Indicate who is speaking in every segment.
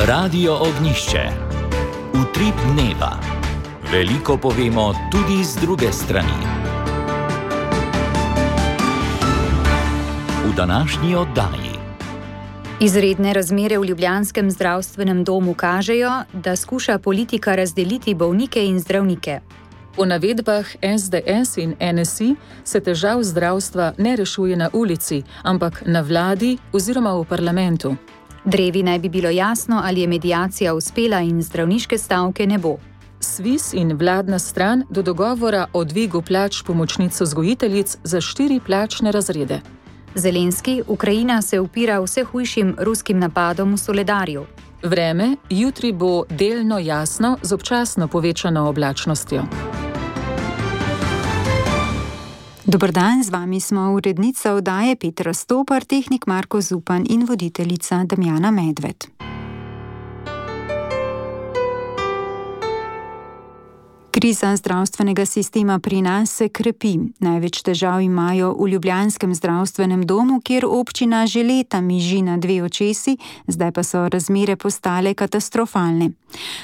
Speaker 1: Radio Ognjišče. Utrip dneva. Veliko povemo tudi z druge strani. V današnji oddaji.
Speaker 2: Izredne razmere v ljubljanskem zdravstvenem domu kažejo, da skuša politika razdeliti bolnike in zdravnike.
Speaker 3: Po navedbah SDS in NSI se težav zdravstva ne rešuje na ulici, ampak na vladi oziroma v parlamentu.
Speaker 2: Drevi naj bi bilo jasno, ali je mediacija uspela in zdravniške stavke ne bo.
Speaker 3: SVIZ in vladna stran do dogovora o dvigu plač pomočnic vzgojiteljic za 4 plačne razrede.
Speaker 2: Zelenski, Ukrajina se upira vse hujšim ruskim napadom v Soledarju.
Speaker 3: Vreme jutri bo delno jasno z občasno povečano oblačnostjo.
Speaker 4: Dober dan, z vami smo urednica oddaje Petra Stopar, tehnik Marko Zupan in voditeljica Damjana Medved. Kriza zdravstvenega sistema pri nas se krepi. Največ težav imajo v ljubljanskem zdravstvenem domu, kjer občina že leta miži na 2 očesi, zdaj pa so razmere postale katastrofalne.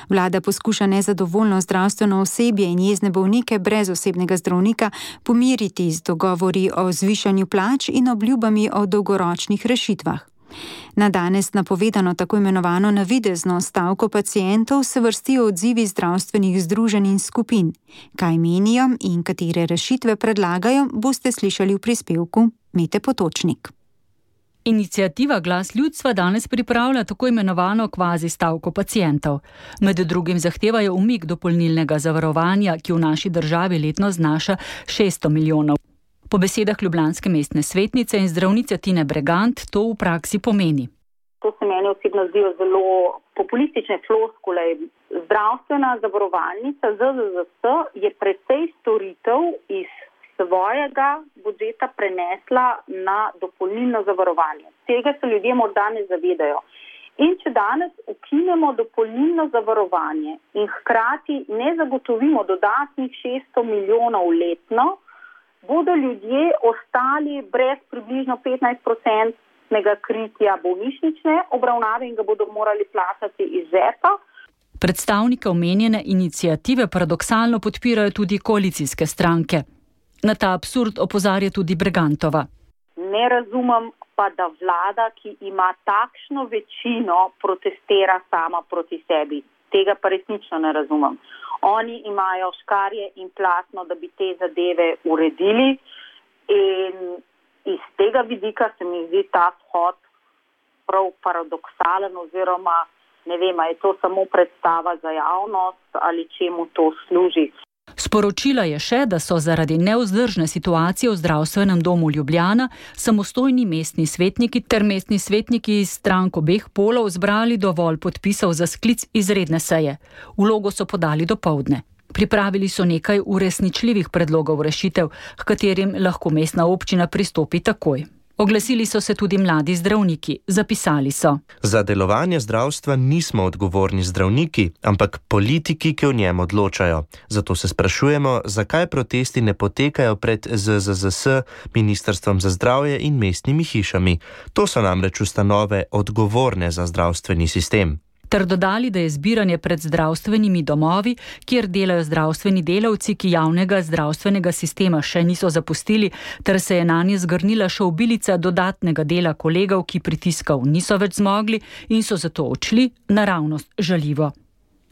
Speaker 4: Vlada poskuša nezadovoljno zdravstveno osebje in jezne bolnike brez osebnega zdravnika pomiriti z dogovori o zvišanju plač in obljubami o dolgoročnih rešitvah. Na danes napovedano tako imenovano navidezno stavko pacientov se vrstijo odzivi zdravstvenih združenj in skupin. Kaj menijo in katere rešitve predlagajo, boste slišali v prispevku Mete Potočnik.
Speaker 5: Iniciativa Glas ljudstva danes pripravlja tako imenovano kvazi stavko pacientov. Med drugim zahtevajo umik dopolnilnega zavarovanja, ki v naši državi letno znaša 600 milijonov. Po besedah ljubljanske mestne svetnice in zdravnice Tine Bregant to v praksi pomeni.
Speaker 6: To se meni osebno zdijo zelo populistične floskule. Zdravstvena zavarovalnica ZZZS je precej storitev iz svojega budžeta prenesla na dopolnilno zavarovanje. Tega se ljudje morda ne zavedajo. In če danes ukinemo dopolnilno zavarovanje in hkrati ne zagotovimo dodatnih 600 milijonov letno, bodo ljudje ostali brez približno 15% kritja bolnišnične obravnave in ga bodo morali plačati iz žepa.
Speaker 5: Predstavnike omenjene iniciative paradoksalno podpirajo tudi koalicijske stranke. Na ta absurd opozarja tudi Bregantova.
Speaker 6: Ne razumem pa, da vlada, ki ima takšno večino, protestira sama proti sebi. Tega pa resnično ne razumem. Oni imajo škarje in platno, da bi te zadeve uredili in iz tega vidika se mi zdi ta shod prav paradoksalen oziroma ne vem, je to samo predstava za javnost ali čemu to služi.
Speaker 5: Sporočila je še, da so zaradi nevzdržne situacije v zdravstvenem domu Ljubljana samostojni mestni svetniki ter mestni svetniki iz strank obeh polov zbrali dovolj podpisov za sklic izredne seje. Vlogo so podali dopoldne. Pripravili so nekaj uresničljivih predlogov rešitev, h katerim lahko mestna občina pristopi takoj. Oglasili so se tudi mladi zdravniki. Zapisali so:
Speaker 7: Za delovanje zdravstva nismo odgovorni zdravniki, ampak politiki, ki o njem odločajo. Zato se sprašujemo, zakaj protesti ne potekajo pred ZZZS, Ministrstvom za zdravje in mestnimi hišami. To so namreč ustanove odgovorne za zdravstveni sistem.
Speaker 5: Ter dodali, da je zbiranje pred zdravstvenimi domovi, kjer delajo zdravstveni delavci, ki javnega zdravstvenega sistema še niso zapustili, ter se je nanje zgrnila še obilica dodatnega dela kolegov, ki pritiskov niso več zmogli in so zato odšli, naravnost žaljivo.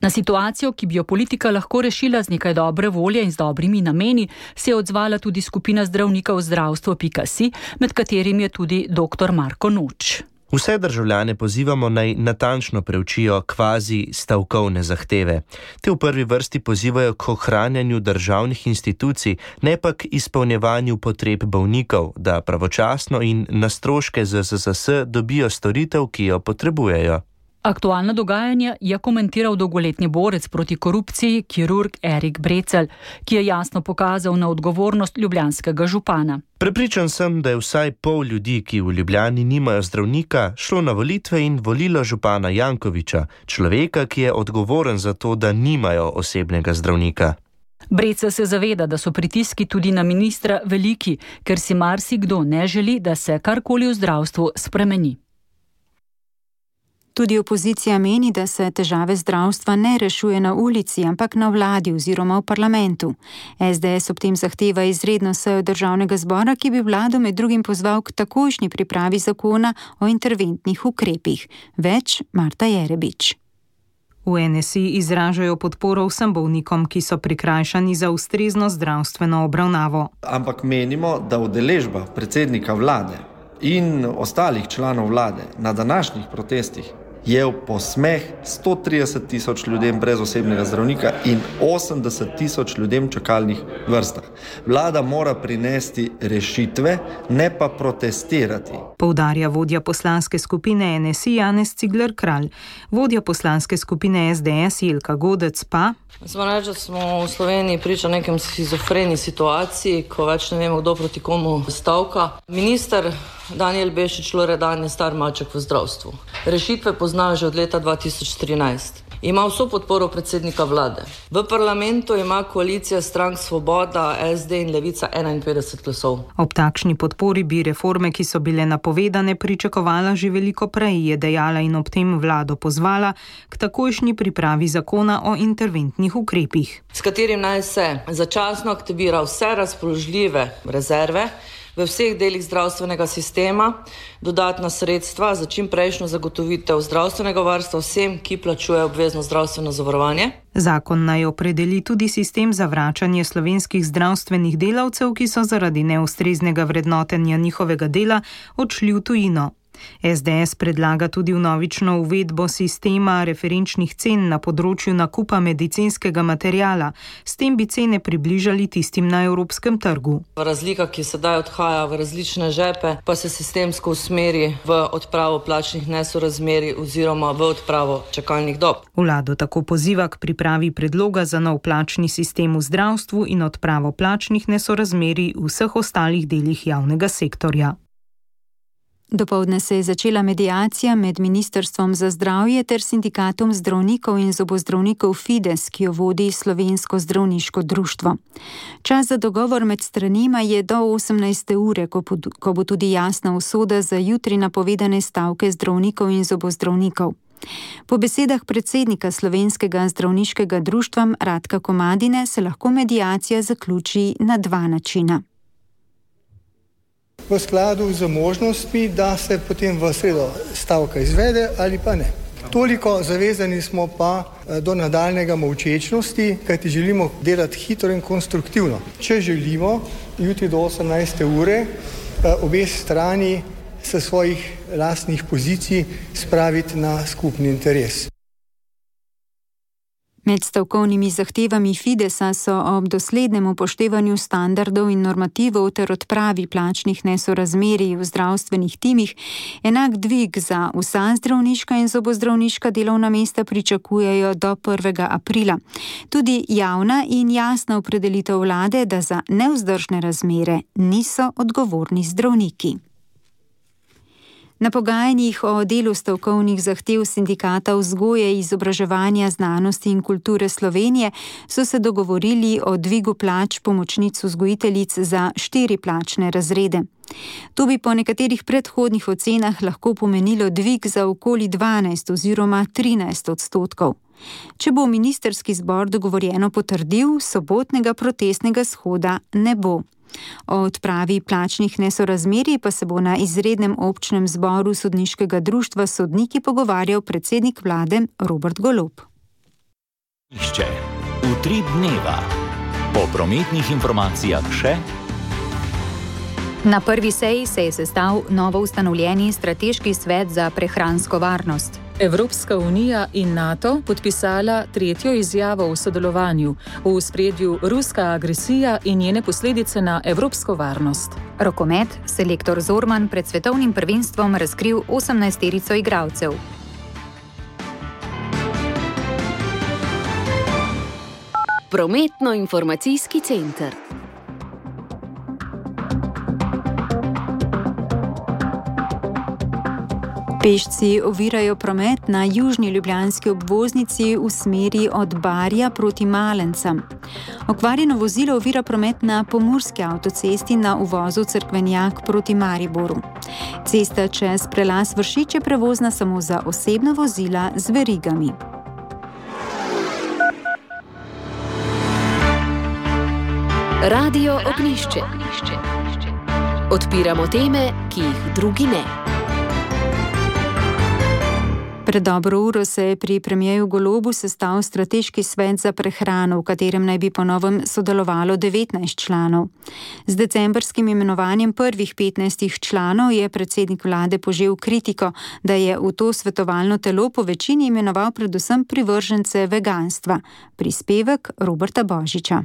Speaker 5: Na situacijo, ki bi jo politika lahko rešila z nekaj dobre volje in z dobrimi nameni, se je odzvala tudi skupina zdravnikov zdravstvo.si, med katerimi je tudi dr. Marko Noč.
Speaker 7: Vse državljane pozivamo naj natančno preučijo kvazi stavkovne zahteve. Te v prvi vrsti pozivajo k ohranjanju državnih institucij, ne pa k izpolnjevanju potreb bolnikov, da pravočasno in na stroške ZZZS dobijo storitev, ki jo potrebujejo.
Speaker 5: Aktualna dogajanja je komentiral dolgoletni borec proti korupciji, kirurg Erik Brecelj, ki je jasno pokazal na odgovornost ljubljanskega župana.
Speaker 7: Prepričan sem, da je vsaj pol ljudi, ki v Ljubljani nimajo zdravnika, šlo na volitve in volilo župana Jankovića, človeka, ki je odgovoren za to, da nimajo osebnega zdravnika.
Speaker 5: Brecelj se zaveda, da so pritiski tudi na ministra veliki, ker si marsikdo ne želi, da se karkoli v zdravstvu spremeni.
Speaker 4: Tudi opozicija meni, da se težave zdravstva ne rešuje na ulici, ampak na vladi oziroma v parlamentu. SDS ob tem zahteva izredno sejo državnega zbora, ki bi vlado med drugim pozval k takojšnji pripravi zakona o interventnih ukrepih. Več Marta Jerebič.
Speaker 8: V NSI izražajo podporo vsem bolnikom, ki so prikrajšani za ustrezno zdravstveno obravnavo.
Speaker 9: Ampak menimo, da udeležba predsednika vlade in ostalih članov vlade na današnjih protestih je v posmeh 130 tisoč ljudem brez osebnega zdravnika in 80 tisoč ljudem v čakalnih vrstah. Vlada mora prinesti rešitve, ne pa protestirati.
Speaker 8: Poudarja vodja poslanske skupine NSI Janez Cigler Kralj. Vodja poslanske skupine SDS Jelka Godec pa:
Speaker 10: Smo reči, da smo v Sloveniji priča nekem schizofreni situaciji, ko več ne vemo, kdo proti komu stavka. Minister Danijel Bešič Loredan je star maček v zdravstvu. Rešitve pozna že od leta 2013. Ima vso podporo predsednika vlade. V parlamentu ima koalicija strank Svoboda, SD in Levica 51 glasov.
Speaker 8: Ob takšni podpori bi reforme, ki so bile napovedane, pričakovala že veliko prej, je dejala in ob tem vlado pozvala k takojšnji pripravi zakona o interventnih ukrepih,
Speaker 10: s katerim naj se začasno aktivira vse razpoložljive rezerve v vseh delih zdravstvenega sistema, dodatna sredstva za čimprejšnjo zagotovitev zdravstvenega varstva vsem, ki plačujejo obvezno zdravstveno zavarovanje.
Speaker 8: Zakon naj opredeli tudi sistem za vračanje slovenskih zdravstvenih delavcev, ki so zaradi neustreznega vrednotenja njihovega dela odšli v tujino. SDS predlaga tudi vnovično uvedbo sistema referenčnih cen na področju nakupa medicinskega materiala. S tem bi cene približali tistim na evropskem trgu.
Speaker 10: Razlika, ki sedaj odhaja v različne žepe, pa se sistemsko usmeri v odpravo plačnih nesorazmerij oziroma v odpravo čakalnih dob.
Speaker 8: Vlado tako poziva k pripravi predloga za nov plačni sistem v zdravstvu in odpravo plačnih nesorazmerij v vseh ostalih delih javnega sektorja.
Speaker 4: Dopoldne se je začela mediacija med Ministrstvom za zdravje ter sindikatom zdravnikov in zobozdravnikov Fides, ki jo vodi Slovensko zdravniško društvo. Čas za dogovor med stranima je do 18. ure, ko bo tudi jasna usoda za jutri napovedane stavke zdravnikov in zobozdravnikov. Po besedah predsednika Slovenskega zdravniškega društva Radka Komadine se lahko mediacija zaključi na dva načina.
Speaker 11: V skladu z možnostmi, da se potem v sredo stavka izvede ali pa ne. Toliko zavezani smo pa do nadaljnega molčečnosti, kajti želimo delati hitro in konstruktivno. Če želimo jutri do 18. ure obe strani s svojih lastnih pozicij spraviti na skupni interes.
Speaker 4: Med stavkovnimi zahtevami Fidesa so ob doslednem upoštevanju standardov in normativov ter odpravi plačnih nesorazmerij v zdravstvenih timih enak dvig za vsa zdravniška in zobozdravniška delovna mesta pričakujejo do 1. aprila. Tudi javna in jasna opredelitev vlade, da za nevzdržne razmere niso odgovorni zdravniki. Na pogajanjih o delu stavkovnih zahtev Sindikata vzgoje, izobraževanja, znanosti in kulture Slovenije so se dogovorili o dvigu plač pomočnic vzgojiteljic za 4 plačne razrede. To bi po nekaterih predhodnih ocenah lahko pomenilo dvig za okoli 12 oziroma 13%. Če bo ministrski zbor dogovorjeno potrdil, sobotnega protestnega shoda ne bo. O odpravi plačnih nesorazmerij pa se bo na izrednem občnem zboru sodniškega društva sodniki pogovarjal predsednik vlade Robert Golob.
Speaker 1: Utrip dneva. Po prometnih informacijah še.
Speaker 2: Na prvi seji se je sestal novo ustanovljeni strateški svet za prehransko varnost.
Speaker 3: Evropska unija in NATO podpisala 3. izjavo o sodelovanju, v ospredju ruska agresija in njene posledice na evropsko varnost.
Speaker 2: Rokomet, selektor Zorman pred svetovnim prvenstvom razkril 18-terico igralcev.
Speaker 12: Prometno-informacijski center.
Speaker 4: Pešci ovirajo promet na južni ljubljanski obvoznici v smeri od Barja proti Malencem. Okvarjeno vozilo ovira promet na pomurski avtocesti na uvozu Cerkvenjak proti Mariboru. Cesta čez prelaz Vršič je prevozna samo za osebna vozila z verigami.
Speaker 12: Radio Ognjišče. Odpiramo teme, ki jih drugi ne.
Speaker 4: Pred dobro uro se je pri premierju Golobu sestal strateški svet za prehrano, v katerem naj bi po novem sodelovalo 19 članov. Z decembrskim imenovanjem prvih 15 članov je predsednik vlade požel kritiko, da je v to svetovalno telo po večini imenoval predvsem privržence veganstva. Prispevek Roberta Božiča.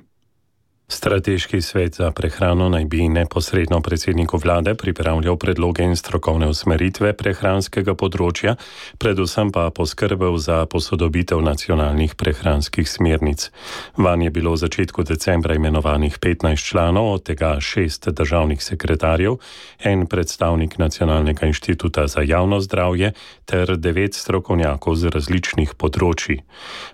Speaker 13: Strateški svet za prehrano naj bi neposredno predsedniku vlade pripravljal predloge in strokovne usmeritve prehranskega področja, predvsem pa poskrbel za posodobitev nacionalnih prehranskih smernic. Vanj je bilo v začetku decembra imenovanih 15 članov, od tega 6 državnih sekretarjev, en predstavnik Nacionalnega inštituta za javno zdravje ter 9 strokovnjakov z različnih področij.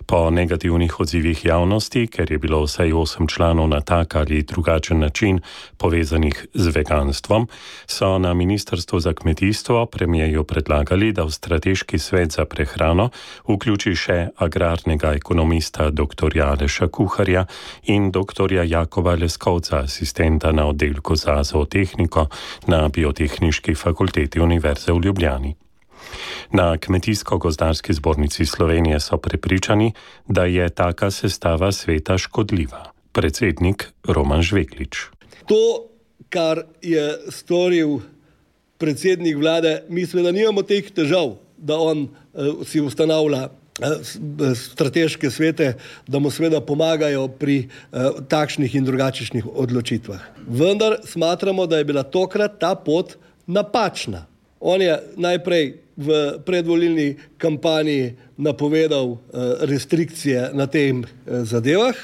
Speaker 13: Po negativnih odzivih javnosti, ker je bilo vsaj 8 članov na tak ali drugačen način povezanih z veganstvom, so na Ministrstvu za kmetijstvo premierju predlagali, da v strateški svet za prehrano vključi še agrarnega ekonomista dr. Aleša Kuharja in dr. Jakoba Leskovca, asistenta na oddelku za zootehniko na Biotehniški fakulteti Univerze v Ljubljani. Na Kmetijsko-gozdarski zbornici Slovenije so prepričani, da je taka sestava sveta škodljiva. Predsednik Roman Žveglič.
Speaker 14: To, kar je storil predsednik vlade, mi seveda nimamo teh težav, da on si ustanavlja strateške svete, da mu seveda pomagajo pri takšnih in drugačnih odločitvah. Vendar smatramo, da je bila tokrat ta pot napačna. On je najprej v predvolilni kampanji napovedal restrikcije na tem zadevah,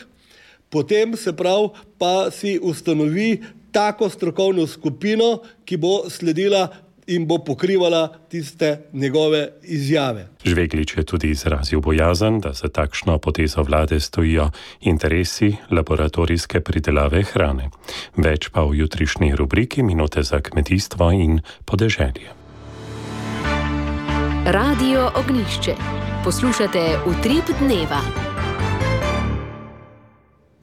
Speaker 14: potem se prav pa si ustanovi tako strokovno skupino, ki bo sledila in bo pokrivala tiste njegove izjave.
Speaker 13: Žveglič je tudi izrazil bojazen, da za takšno potezo vlade stojijo interesi laboratorijske pridelave hrane. Več pa v jutrišnji rubriki Minute za kmetijstvo in podeželje.
Speaker 12: Radio Ognjišče. Poslušate Utrip dneva.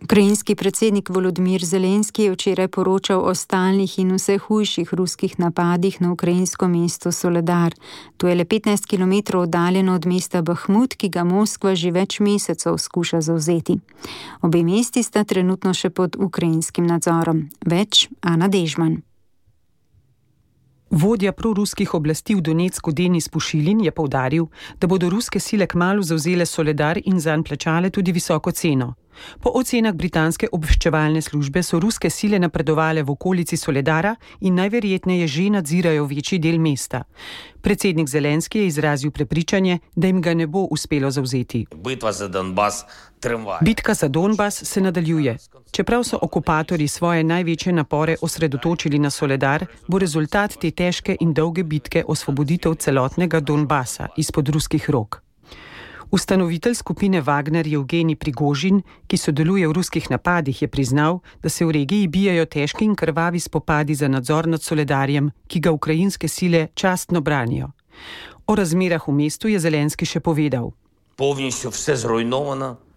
Speaker 4: Ukrajinski predsednik Volodimir Zelenski je včeraj poročal o stalnih in vse hujših ruskih napadih na ukrajinsko mesto Soledar. To je le 15 km oddaljeno od mesta Bahmut, ki ga Moskva že več mesecev skuša zavzeti. Obe mesti sta trenutno še pod ukrajinskim nadzorom. Več Ana Dežman.
Speaker 15: Vodja proruskih oblasti v Donecku Denis Pušilin je poudaril, da bodo ruske sile kmalu zavzele Soledar in zanj plačale tudi visoko ceno. Po ocenah britanske obveščevalne službe so ruske sile napredovale v okolici Soledara in najverjetneje že nadzirajo večji del mesta. Predsednik Zelenski je izrazil prepričanje, da jim ga ne bo uspelo zavzeti. Bitka za Donbas se nadaljuje. Čeprav so okupatorji svoje največje napore osredotočili na Soledar, bo rezultat te težke in dolge bitke osvoboditev celotnega Donbasa izpod ruskih rok. Ustanovitelj skupine Wagner Evgenij Prigožin, ki sodeluje v ruskih napadih, je priznal, da se v regiji bijajo težki in krvavi spopadi za nadzor nad Soledarjem, ki ga ukrajinske sile častno branijo. O razmerah v mestu je Zelenski še povedal.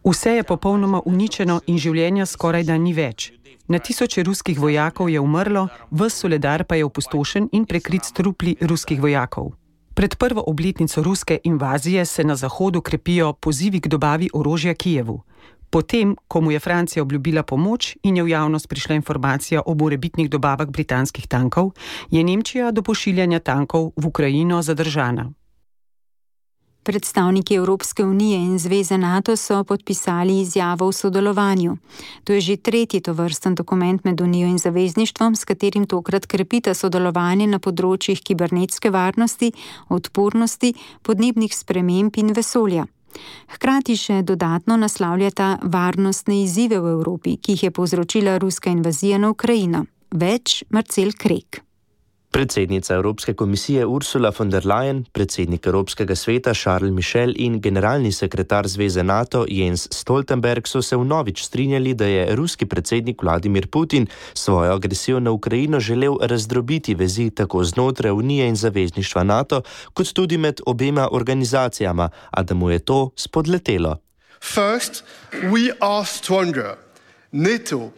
Speaker 15: Vse je popolnoma uničeno in življenja skoraj da ni več. Na tisoče ruskih vojakov je umrlo, ves Soledar pa je opustošen in prekrit s trupli ruskih vojakov. Pred prvo obletnico ruske invazije se na Zahodu krepijo pozivi k dobavi orožja Kijevu. Potem, ko mu je Francija obljubila pomoč in je v javnost prišla informacija o morebitnih dobavah britanskih tankov, je Nemčija do pošiljanja tankov v Ukrajino zadržana.
Speaker 4: Predstavniki Evropske unije in Zveze NATO so podpisali izjavo o sodelovanju. To je že tretji tovrsten dokument med Unijo in zavezništvom, s katerim tokrat krepita sodelovanje na področjih kibernetske varnosti, odpornosti, podnebnih sprememb in vesolja. Hkrati še dodatno naslavljata varnostne izzive v Evropi, ki jih je povzročila ruska invazija na Ukrajino. Več Marcel Krek.
Speaker 7: Predsednica Evropske komisije Ursula von der Leyen, predsednik Evropskega sveta Charles Michel in generalni sekretar Zveze NATO Jens Stoltenberg so se vnovič strinjali, da je ruski predsednik Vladimir Putin svojo agresijo na Ukrajino želel razdrobiti vezi tako znotraj Unije in zavezništva NATO, kot tudi med obema organizacijama, a da mu je to spodletelo.
Speaker 16: First, we are stronger. NATO.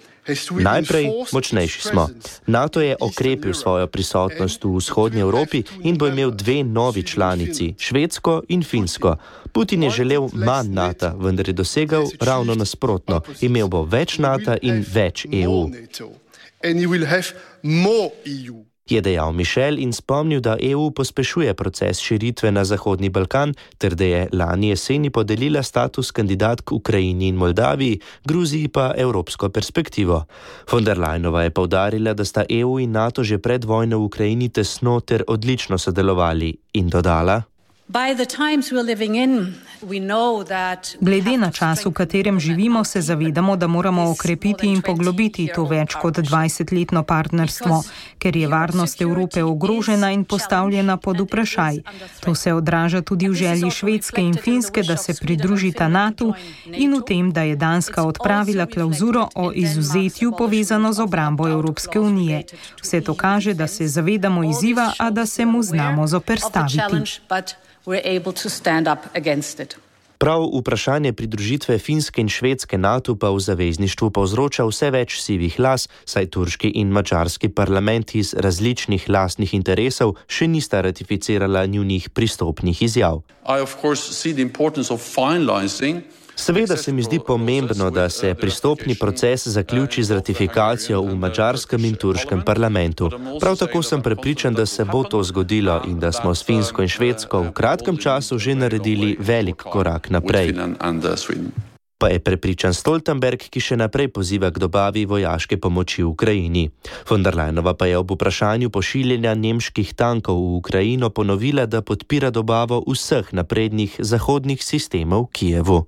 Speaker 7: Najprej, močnejši smo. NATO je okrepil svojo prisotnost v vzhodnji Evropi in bo imel dve novi članici, Švedsko in Finsko. Putin je želel manj NATO, vendar je dosegal ravno nasprotno. Imel bo več NATO in več EU. Je dejal Michel in spomnil, da EU pospešuje proces širitve na Zahodni Balkan, ter da je lani jeseni podelila status kandidatk Ukrajini in Moldaviji, Gruziji pa evropsko perspektivo. Von der Leyenova je poudarila, da sta EU in NATO že pred vojno v Ukrajini tesno ter odlično sodelovali in dodala:
Speaker 8: Glede na čas, v katerem živimo, se zavedamo, da moramo okrepiti in poglobiti to več kot 20-letno partnerstvo, ker je varnost Evrope ogrožena in postavljena pod vprašaj. To se odraža tudi v želji Švedske in Finske, da se pridružita NATO in v tem, da je Danska odpravila klauzuro o izuzetju povezano z obrambo Evropske unije. Vse to kaže, da se zavedamo izziva, a da se mu znamo zoperstaviti.
Speaker 7: Prav vprašanje pridružitve Finske in Švedske NATO pa v zavezništvu povzroča vse več sivih las, saj turški in madžarski parlamenti iz različnih lastnih interesov še nista ratificirala njunih pristopnih izjav. Seveda se mi zdi pomembno, da se pristopni proces zaključi z ratifikacijo v madžarskem in turškem parlamentu. Prav tako sem prepričan, da se bo to zgodilo in da smo s Finsko in Švedsko v kratkem času že naredili velik korak naprej. Pa je prepričan Stoltenberg, ki še naprej poziva k dobavi vojaške pomoči v Ukrajini. Von der Leyenova pa je ob vprašanju pošiljanja nemških tankov v Ukrajino ponovila, da podpira dobavo vseh naprednih zahodnih sistemov v Kijevu.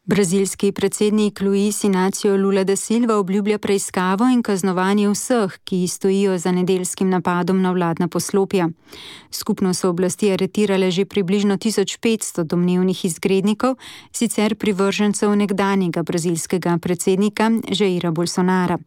Speaker 4: Brazilski predsednik Luiz Inácio Lula da Silva obljublja preiskavo in kaznovanje vseh, ki stojijo za nedeljskim napadom na vladna poslopja. Skupno so oblasti aretirale že približno 1500 domnevnih izgrednikov, sicer privržencev nekdanjega brazilskega predsednika Jaira Bolsonara.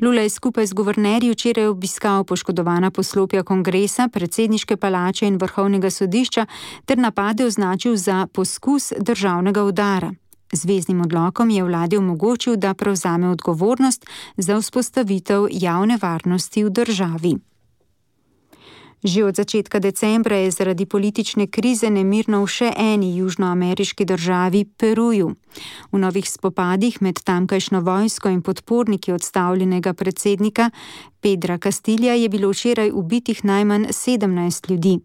Speaker 4: Lula je skupaj z guvernerji včeraj obiskal poškodovana poslopja kongresa, predsedniške palače in vrhovnega sodišča ter napade označil za poskus državnega udara. Zveznim odlokom je vladi omogočil, da prevzame odgovornost za vzpostavitev javne varnosti v državi. Že od začetka decembra je zaradi politične krize nemirno v še eni južnoameriški državi, Peruju. V novih spopadih med tamkajšnjo vojsko in podporniki odstavljenega predsednika Pedra Castilla je bilo včeraj ubitih najmanj 17 ljudi.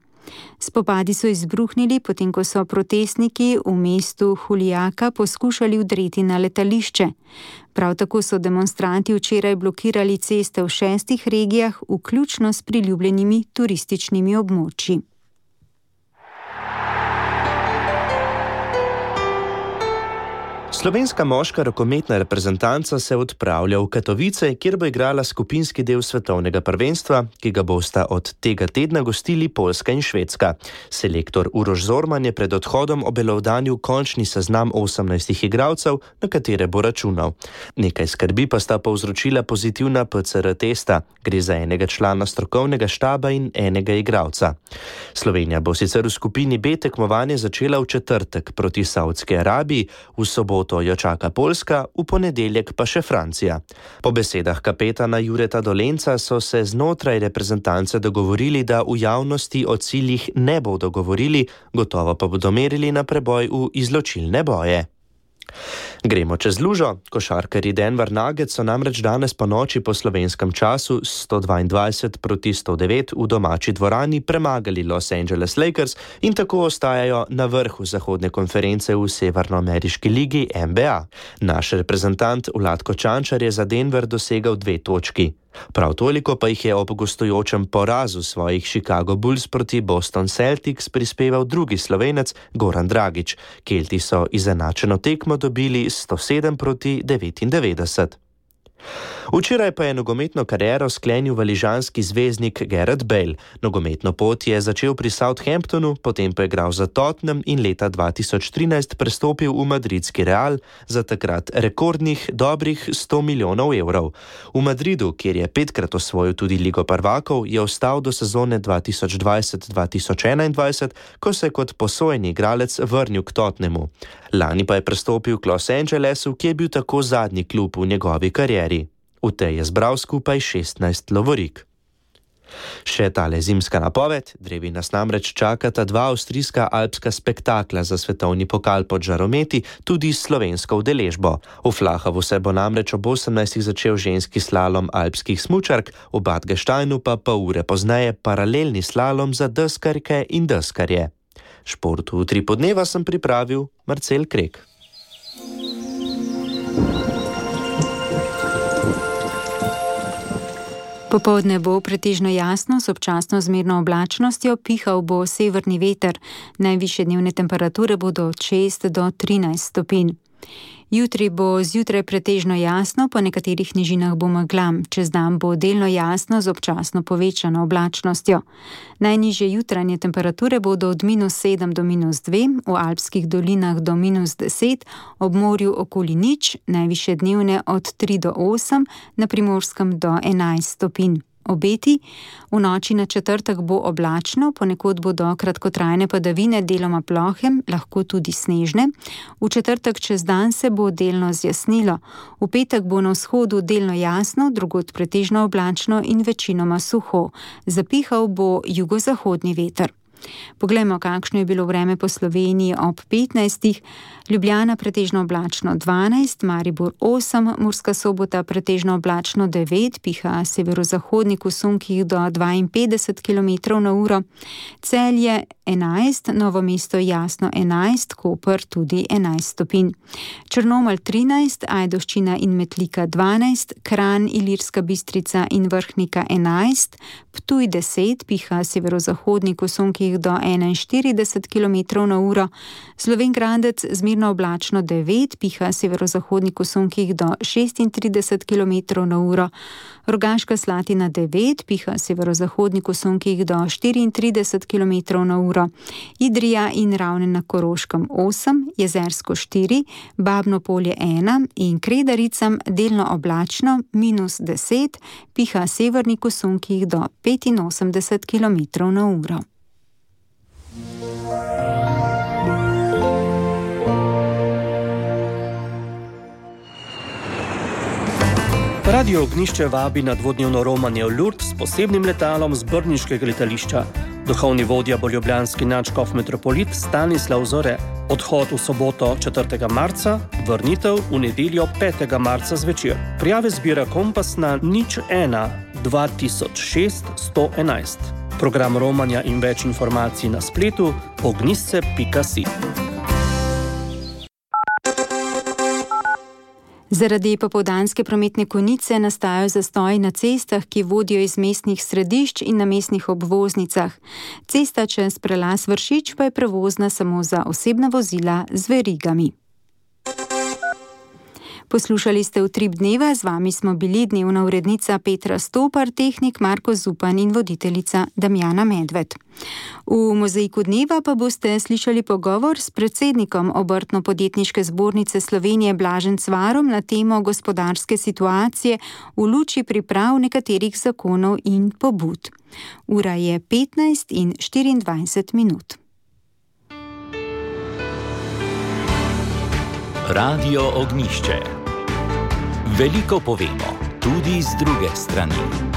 Speaker 4: Spopadi so izbruhnili, potem ko so protestniki v mestu Juliaca poskušali vdreti na letališče. Prav tako so demonstranti včeraj blokirali ceste v 6 regijah, vključno s priljubljenimi turističnimi območji.
Speaker 7: Slovenska moška rokometna reprezentanca se odpravlja v Katovice, kjer bo igrala skupinski del svetovnega prvenstva, ki ga bosta od tega tedna gostili Poljska in Švedska. Selektor Uroš Zorman je pred odhodom obelodanil končni seznam 18 igralcev, na katere bo računal. Nekaj skrbi pa sta povzročila pozitivna PCR testa. Gre za enega člana strokovnega štaba in enega igralca. Slovenija bo sicer v skupini B tekmovanje začela v četrtek proti Saudski Arabiji, v soboto jo čaka Poljska, v ponedeljek pa še Francija. Po besedah kapetana Jureta Dolenca so se znotraj reprezentance dogovorili, da v javnosti o ciljih ne bodo govorili, gotovo pa bodo merili na preboj v izločilne boje. Gremo čez lužo. Košarkarji Denver Nuggets so namreč danes po noči po slovenskem času 122 proti 109 v domači dvorani premagali Los Angeles Lakers in tako ostajajo na vrhu zahodne konference v severnoameriški ligi NBA. Naš reprezentant Vlatko Čančar je za Denver dosegal 2 točki. Prav toliko pa jih je ob gostujočem porazu svojih Chicago Bulls proti Boston Celtics prispeval drugi Slovenec Goran Dragić. Kelti so izenačeno tekmo dobili 107 proti 99. Včeraj pa je nogometno kariero sklenil valižanski zvezdnik Gareth Bale. Nogometno pot je začel pri Southamptonu, potem pa je igral za Tottenham in leta 2013 prestopil v madridski Real za takrat rekordnih dobrih 100 milijonov evrov. V Madridu, kjer je 5-krat osvojil tudi Ligo prvakov, je ostal do sezone 2020-2021, ko se je kot posojeni igralec vrnil k Tottenhamu. Lani pa je prestopil k Los Angelesu, ki je bil tako zadnji klub v njegovi karieri. V tej je zbral skupaj 16 lovorik. Še tale zimska napoved, drevi nas namreč čakata 2 avstrijska alpska spektakla za svetovni pokal pod žarometi, tudi s slovensko udeležbo. V Flahavu se bo namreč ob 18. začel ženski slalom alpskih smučark, v Bad Gasteinu pa pol ure pozneje paralelni slalom za deskarke in deskarje. Šport v Utripu dneva sem pripravil Marcel Krek.
Speaker 4: Popoldne bo pretežno jasno, s občasno zmerno oblačnostjo, pihal bo severni veter. Najvišje dnevne temperature bodo od 6 do 13 stopinj. Jutri bo zjutraj pretežno jasno, po nekaterih nižinah bo megla. Čez dan bo delno jasno z občasno povečano oblačnostjo. Najnižje jutranje temperature bodo od -7 do -2, v alpskih dolinah do -10, ob morju okoli 0, najvišje dnevne od 3 do 8, na Primorskem do 11 stopinj. Obeti. V noči na četrtek bo oblačno, ponekod bodo kratkotrajne padavine, deloma plohe, lahko tudi snežne. V četrtek čez dan se bo delno zjasnilo. V petek bo na vzhodu delno jasno, drugod pretežno oblačno in večinoma suho. Zapihal bo jugozahodni veter. Poglejmo, kakšno je bilo vreme po Sloveniji ob 15. Ljubljana pretežno oblačno 12, Maribor 8, Murska Sobota pretežno oblačno 9, piha severozahodnik v sunkih do 52 km/h, Celje 11, Novo mesto jasno 11, Koper tudi 11 stopinj. Črnomelj 13, Ajdovščina in Metlika 12, Kranj, Ilirska Bistrica in Vrhnika 11, Ptuj 10, piha severozahodnik v sunkih do 41 km/h, Slovenj Gradec zmerno oblačno 9, piha severozahodnik v sunkih do 36 km/h, Rogaška Slatina 9, piha severozahodnik v sunkih do 34 km/h, Idrija in Ravne na Koroškem 8, Jezersko 4, Babno Polje 1 in Kredaricam delno oblačno -10, piha severnik v sunkih do 85 km/h.
Speaker 17: Radio Ognjišče vabi na dvodnevno romanje v Lourdes s posebnim letalom z brniškega letališča. Duhovni vodja bo ljubljanski nadškof metropolit Stanislav Zore. Odhod v soboto 4. marca, vrnitev v nedeljo 5. marca zvečer. Prijave zbira Kompas na 01 2006 111. Program romanja in več informacij na spletu ognjišče.si.
Speaker 4: Zaradi popoldanske prometne konice nastajajo zastoji na cestah, ki vodijo iz mestnih središč in na mestnih obvoznicah. Cesta čez prelaz Vršič pa je prevozna samo za osebna vozila z verigami. Poslušali ste Utrip dneva, z vami smo bili dnevna urednica Petra Stopar, tehnik Marko Zupan in voditeljica Damjana Medved. V mozaiku dneva pa boste slišali pogovor s predsednikom Obrtno-podjetniške zbornice Slovenije Blažem Cvarom na temo gospodarske situacije v luči priprav nekaterih zakonov in pobud. Ura je 15:24.
Speaker 1: Radio Ognjišče. Veliko povemo, tudi z druge strani.